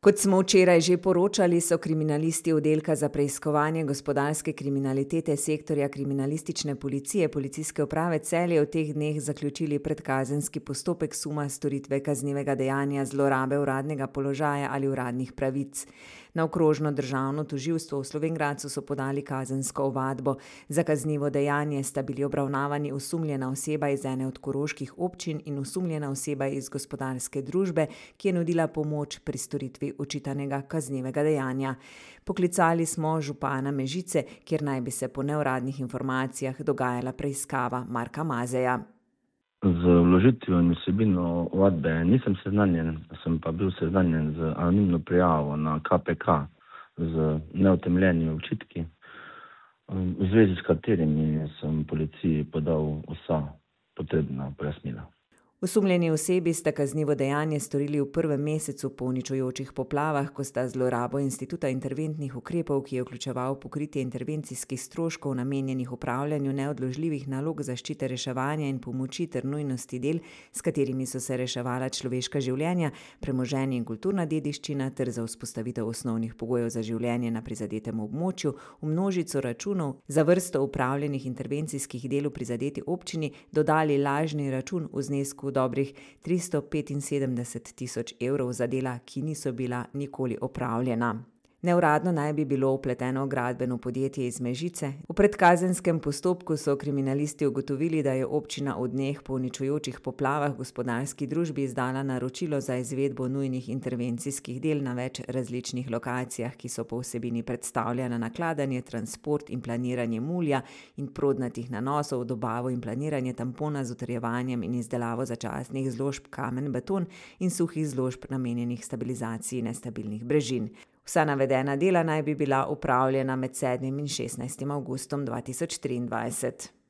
Kot smo včeraj že poročali, so kriminalisti oddelka za preiskovanje gospodarske kriminalitete sektorja kriminalistične policije Policijske uprave Celje v teh dneh zaključili predkazenski postopek suma storitve kaznivega dejanja zlorabe uradnega položaja ali uradnih pravic. Na okrožno državno tožilstvo v Slovenj Gradcu so podali kazensko ovadbo. Za kaznivo dejanje sta bili obravnavani osumljena oseba iz ene od koroških občin in osumljena oseba iz gospodarske družbe, ki je nudila pomoč pri storitvi očitanega kaznivega dejanja. Poklicali smo župana Mežice, kjer naj bi se po neuradnih informacijah dogajala preiskava Marka Mazeja. Z vložitvijo in vsebino ovadbe nisem seznanjen, sem pa bil seznanjen z anonimno prijavo na KPK z neutemeljenimi očitki, v zvezi s katerimi sem policiji podal vsa potrebna pojasnila. Osumljeni osebi sta kaznivo dejanje storili v prvem mesecu po uničujočih poplavah, ko sta zlorabo instituta interventnih ukrepov, ki je vključeval pokritje intervencijskih stroškov namenjenih upravljanju neodložljivih nalog zaščite reševanja in pomoči ter nujnosti del, s katerimi so se reševala človeška življenja, premoženje in kulturna dediščina ter za vzpostavitev osnovnih pogojev za življenje na prizadetem območju, v množico računov za vrsto upravljenih intervencijskih del v prizadeti občini dodali lažni račun v znesku dobrih 375 tisoč evrov za dela, ki niso bila nikoli opravljena. Neuradno naj bi bilo vpleteno gradbeno podjetje iz Mežice. V predkazenskem postopku so kriminalisti ugotovili, da je občina v dneh po uničujočih poplavah gospodarski družbi izdala naročilo za izvedbo nujnih intervencijskih del na več različnih lokacijah, ki so po vsebini predstavljala nakladanje, transport in planiranje mulja in prodnatih nanosov, dobavo in planiranje tampona z utrjevanjem in izdelavo začasnih zložb kamen, beton in suhih zložb namenjenih stabilizaciji nestabilnih brežin. Vsa navedena dela naj bi bila opravljena med 7. in 16. avgustom 2023.